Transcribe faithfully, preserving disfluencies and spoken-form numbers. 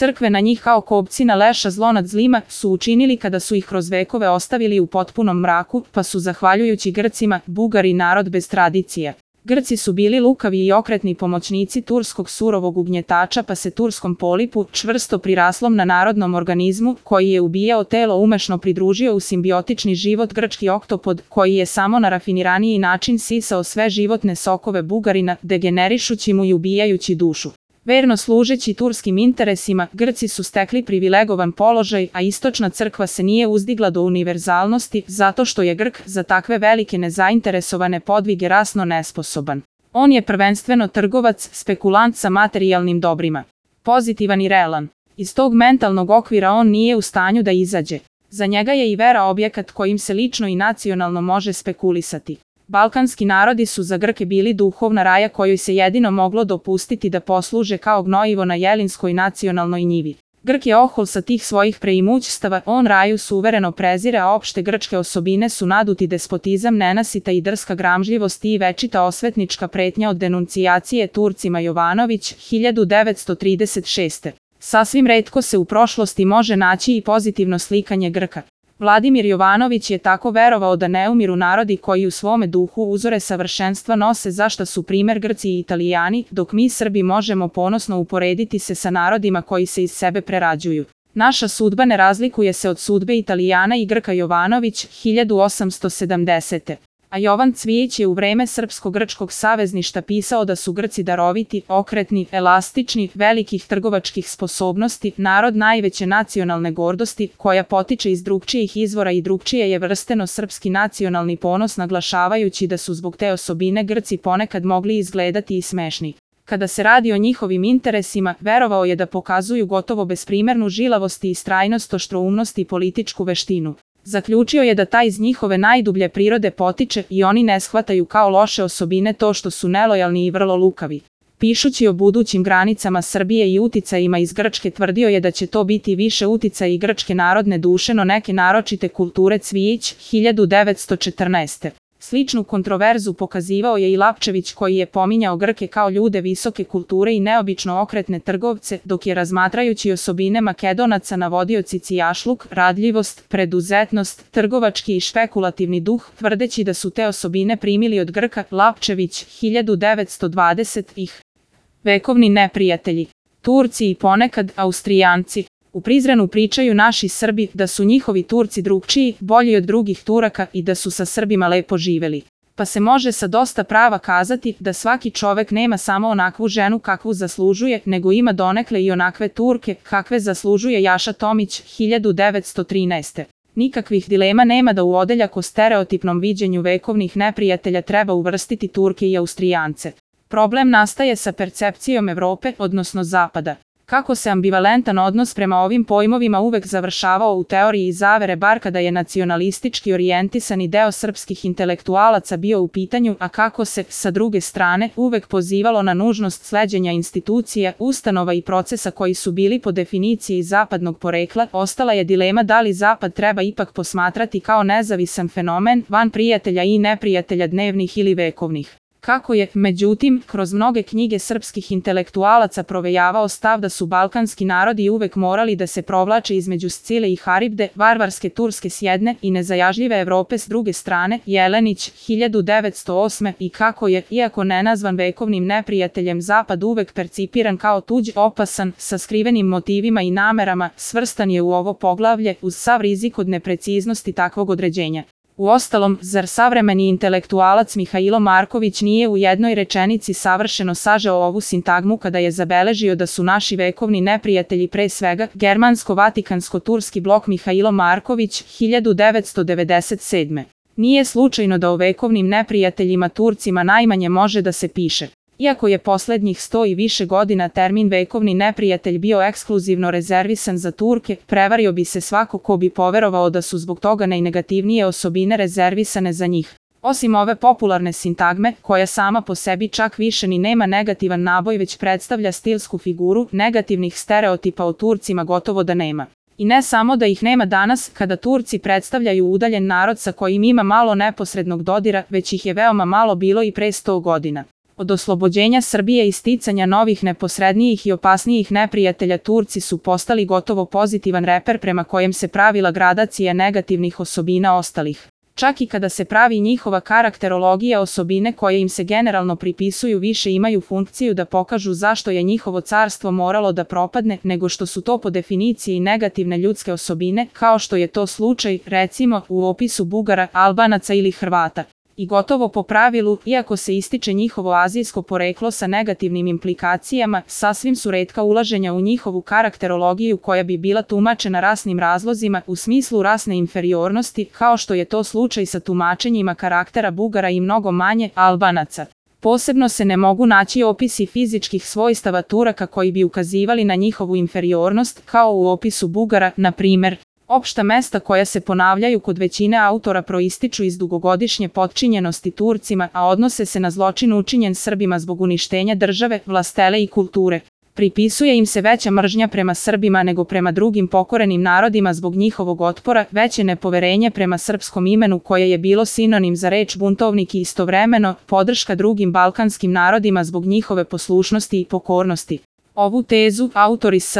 Crkve na njih kao kopcina leša zlo nad zlima su učinili kada su ih kroz vekove ostavili u potpunom mraku, pa su zahvaljujući Grcima, Bugari narod bez tradicija. Grci su bili lukavi i okretni pomoćnici turskog surovog ugnjetača, pa se turskom polipu, čvrsto priraslom na narodnom organizmu, koji je ubijao telo, umešno pridružio u simbiotični život grčki oktopod, koji je samo na rafiniraniji način sisao sve životne sokove Bugarina, degenerišući mu i ubijajući dušu. Verno služeći turskim interesima, Grci su stekli privilegovan položaj, a istočna crkva se nije uzdigla do univerzalnosti, zato što je Grk za takve velike nezainteresovane podvige rasno nesposoban. On je prvenstveno trgovac, spekulant sa materijalnim dobrima. Pozitivan i realan. Iz tog mentalnog okvira on nije u stanju da izađe. Za njega je i vera objekat kojim se lično i nacionalno može spekulisati. Balkanski narodi su za Grke bili duhovna raja kojoj se jedino moglo dopustiti da posluže kao gnojivo na jelinskoj nacionalnoj njivi. Grk je ohol sa tih svojih preimućstava, on raju suvereno prezire, a opšte grčke osobine su naduti despotizam, nenasita i drska gramžljivost i večita osvetnička pretnja od denuncijacije Turcima. Jovanović, hiljadu devetsto trideset šeste. Sasvim retko se u prošlosti može naći i pozitivno slikanje Grka. Vladimir Jovanović je tako verovao da ne umiru narodi koji u svome duhu uzore savršenstva nose, za šta su primer Grci i Italijani, dok mi Srbi možemo ponosno uporediti se sa narodima koji se iz sebe prerađuju. Naša sudba ne razlikuje se od sudbe Italijana i Grka. Jovanović, hiljadu osamsto sedamdesete. A Jovan Cvijić je u vreme Srpsko-grčkog savezništva pisao da su Grci daroviti, okretni, elastični, velikih trgovačkih sposobnosti, narod najveće nacionalne gordosti, koja potiče iz drugčijih izvora i drugčije je vrsteno srpski nacionalni ponos, naglašavajući da su zbog te osobine Grci ponekad mogli izgledati i smešni. Kada se radi o njihovim interesima, verovao je da pokazuju gotovo besprimernu žilavost i istrajnost, oštroumnost i političku veštinu. Zaključio je da taj iz njihove najdublje prirode potiče i oni ne shvataju kao loše osobine to što su nelojalni i vrlo lukavi. Pišući o budućim granicama Srbije i uticajima iz Grčke, tvrdio je da će to biti više uticaja i grčke narodne duše no neke naročite kulture. Cvijić, hiljadu devetsto četrnaeste. Sličnu kontroverzu pokazivao je i Lapčević, koji je pominjao Grke kao ljude visoke kulture i neobično okretne trgovce, dok je razmatrajući osobine Makedonaca navodio cicijašluk, radljivost, preduzetnost, trgovački i špekulativni duh, tvrdeći da su te osobine primili od Grka. Lapčević, hiljadu devetsto dvadesete. Vekovni neprijatelji. Turci i ponekad Austrijanci. U Prizrenu pričaju naši Srbi da su njihovi Turci drugčiji, bolji od drugih Turaka i da su sa Srbima lepo živeli. Pa se može sa dosta prava kazati da svaki čovek nema samo onakvu ženu kakvu zaslužuje, nego ima donekle i onakve Turke kakve zaslužuje. Jaša Tomić, hiljadu devetsto trinaeste. Nikakvih dilema nema da u odeljak o stereotipnom viđenju vekovnih neprijatelja treba uvrstiti Turke i Austrijance. Problem nastaje sa percepcijom Evrope, odnosno Zapada. Kako se ambivalentan odnos prema ovim pojmovima uvek završavao u teoriji zavere, bar kada je nacionalistički orijentisani deo srpskih intelektualaca bio u pitanju, a kako se, sa druge strane, uvek pozivalo na nužnost sleđenja institucija, ustanova i procesa koji su bili po definiciji zapadnog porekla, ostala je dilema da li Zapad treba ipak posmatrati kao nezavisan fenomen, van prijatelja i neprijatelja dnevnih ili vekovnih. Kako je, međutim, kroz mnoge knjige srpskih intelektualaca provejavao stav da su balkanski narodi uvek morali da se provlače između Scile i Haribde, varvarske Turske s jedne i nezajažljive Evrope s druge strane, Jelenić, hiljadu devetsto osme. I kako je, iako nenazvan vekovnim neprijateljem, Zapad uvek percipiran kao tuđ, opasan, sa skrivenim motivima i namerama, svrstan je u ovo poglavlje uz sav rizik od nepreciznosti takvog određenja. Uostalom, zar savremeni intelektualac Mihailo Marković nije u jednoj rečenici savršeno sažeo ovu sintagmu kada je zabeležio da su naši vekovni neprijatelji pre svega germansko-vatikansko-turski blok? Mihailo Marković, hiljadu devetsto devedeset sedme. Nije slučajno da o vekovnim neprijateljima Turcima najmanje može da se piše. Iako je poslednjih sto i više godina termin vekovni neprijatelj bio ekskluzivno rezervisan za Turke, prevario bi se svako ko bi poverovao da su zbog toga najnegativnije osobine rezervisane za njih. Osim ove popularne sintagme, koja sama po sebi čak više ni nema negativan naboj već predstavlja stilsku figuru, negativnih stereotipa o Turcima gotovo da nema. I ne samo da ih nema danas, kada Turci predstavljaju udaljen narod sa kojim ima malo neposrednog dodira, već ih je veoma malo bilo i pre sto godina. Od oslobođenja Srbije i sticanja novih neposrednijih i opasnijih neprijatelja Turci su postali gotovo pozitivan reper prema kojem se pravila gradacija negativnih osobina ostalih. Čak i kada se pravi njihova karakterologija, osobine koje im se generalno pripisuju više imaju funkciju da pokažu zašto je njihovo carstvo moralo da propadne, nego što su to po definiciji negativne ljudske osobine, kao što je to slučaj, recimo, u opisu Bugara, Albanaca ili Hrvata. I gotovo po pravilu, iako se ističe njihovo azijsko poreklo sa negativnim implikacijama, sasvim su retka ulaženja u njihovu karakterologiju koja bi bila tumačena rasnim razlozima u smislu rasne inferiornosti, kao što je to slučaj sa tumačenjima karaktera Bugara i mnogo manje Albanaca. Posebno se ne mogu naći opisi fizičkih svojstava Turaka koji bi ukazivali na njihovu inferiornost, kao u opisu Bugara, na primer. Opšta mesta koja se ponavljaju kod većine autora proističu iz dugogodišnje potčinjenosti Turcima, a odnose se na zločin učinjen Srbima zbog uništenja države, vlastele i kulture. Pripisuje im se veća mržnja prema Srbima nego prema drugim pokorenim narodima zbog njihovog otpora, veće nepoverenje prema srpskom imenu koje je bilo sinonim za reč buntovnik i istovremeno podrška drugim balkanskim narodima zbog njihove poslušnosti i pokornosti. Ovu tezu autori S.